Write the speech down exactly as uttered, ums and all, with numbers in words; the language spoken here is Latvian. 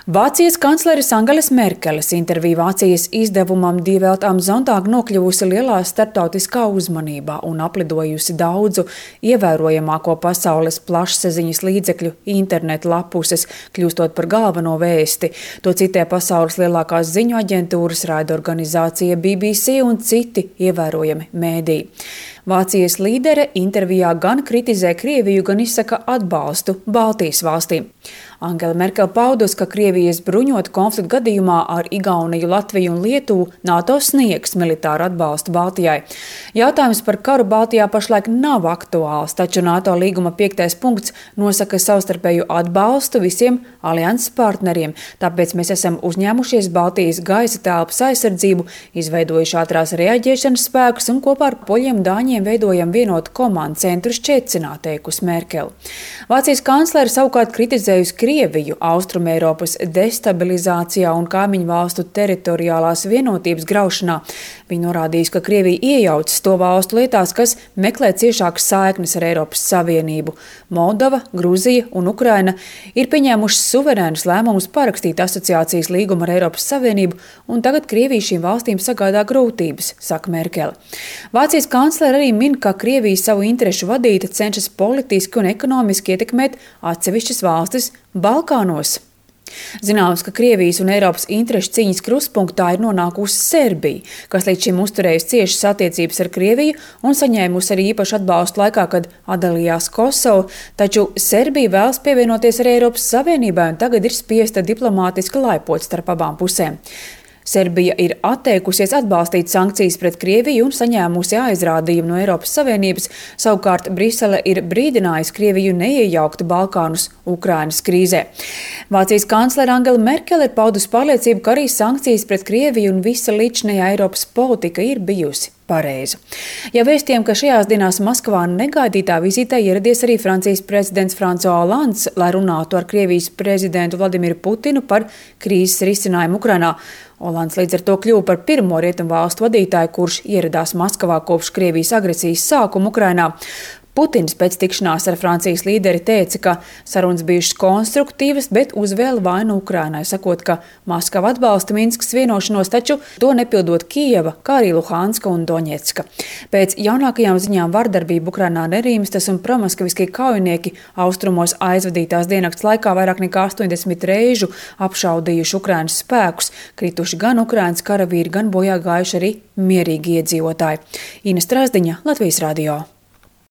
Vācijas kancleres Angeles Merkeles intervija Vācijas izdevumam Die Welt am Sonntag nokļuvusi lielā starptautiskā uzmanībā un aplidojusi daudzu ievērojamāko pasaules plašsaziņas līdzekļu internetu lapuses, kļūstot par galveno vēsti. To citē pasaules lielākās ziņu aģentūras, raidorganizācija B B C un citi ievērojami mēdīji. Vācijas līdere intervijā gan kritizē Krieviju, gan izsaka atbalstu Baltijas valstīm. Angela Merkele paudus, ka Krievijas bruņotu konfliktu gadījumā ar Igauniju, Latviju un Lietuvu NATO sniegs militāru atbalstu Baltijai. Jautājums par karu Baltijā pašlaik nav aktuāls, taču NATO līguma piektais punkts nosaka savstarpēju atbalstu visiem alianses partneriem. Tāpēc mēs esam uzņēmušies Baltijas gaisa telpas aizsardzību, izveidojuši ātrās reaģēšanas spēkus un kopā ar poļiem dāņiem veidojam vienotu komandu centru Ščecinā, teikusi Merkele. Vācijas kanclere savukārt kritizējusi Krieviju Austrumeiropas destabilizācijā un kaimiņu valstu teritoriālās vienotības graušanā. Viņa norādījusi, ka Krievija iejaucas to valstu lietās, kas meklē ciešākas saiknes ar Eiropas Savienību. Moldova, Gruzija un Ukraina ir pieņēmušas suverēnus lēmumus parakstīt asociācijas līgumu ar Eiropas Savienību, un tagad Krievija šīm valstīm sagādā grūtības, saka Merkele. Vācijas kanclere arī min, ka Krievija savu interešu vadīta cenšas politiski un ekonomiski ietekmēt atsevišķas valstis Balkānos. Zināms, ka Krievijas un Eiropas interešu cīņas krustpunktā ir nonākusi Serbija, kas līdz šim uzturējusi ciešas attiecības ar Krieviju un saņēmusi arī īpašu atbalstu laikā, kad atdalījās Kosovu, taču Serbija vēlas pievienoties arī Eiropas Savienībai un tagad ir spiesta diplomātiski laipot starp abām pusēm. Serbija ir atteikusies atbalstīt sankcijas pret Krieviju un saņēmusi aizrādījumu no Eiropas Savienības, savukārt Brisele ir brīdinājusi Krieviju neiejaukt Balkānus Ukrainas krīzē. Vācijas kanclere Angela Merkele ir paudusi pārliecību, ka arī sankcijas pret Krieviju un visa līdzinējā Eiropas politika ir bijusi pareiza. Ja vēstījām, ka šajās dienās Maskavā negaidītā vizītē ieradies arī Francijas prezidents François Hollands, lai runātu ar Krievijas prezidentu Vladimiru Putinu par krīzes risinājumu Ukrainā. Hollands līdz ar to kļuva par pirmo rietumu valstu vadītāju, kurš ieradās Maskavā kopš Krievijas agresijas sākuma Ukrainā. Putins pēc tikšanās ar Francijas līderi teica, ka sarunas bijušas konstruktīvas, bet uzvēla vainu Ukrainai, sakot, ka Maskava atbalsta Minskas vienošanos, taču to nepildot Kijeva, kā arī Luhanska un Doņetska. Pēc jaunākajām ziņām vardarbība Ukrainā nerīmstas un promaskaviskie kaujinieki austrumos aizvadītās diennakts laikā vairāk nekā astoņdesmit reižu apšaudījuši Ukrainas spēkus, krituši gan Ukrainas karavīri, gan bojā gājuši arī mierīgi iedzīvotāji. Ina Strasdiņa, Latvijas radio.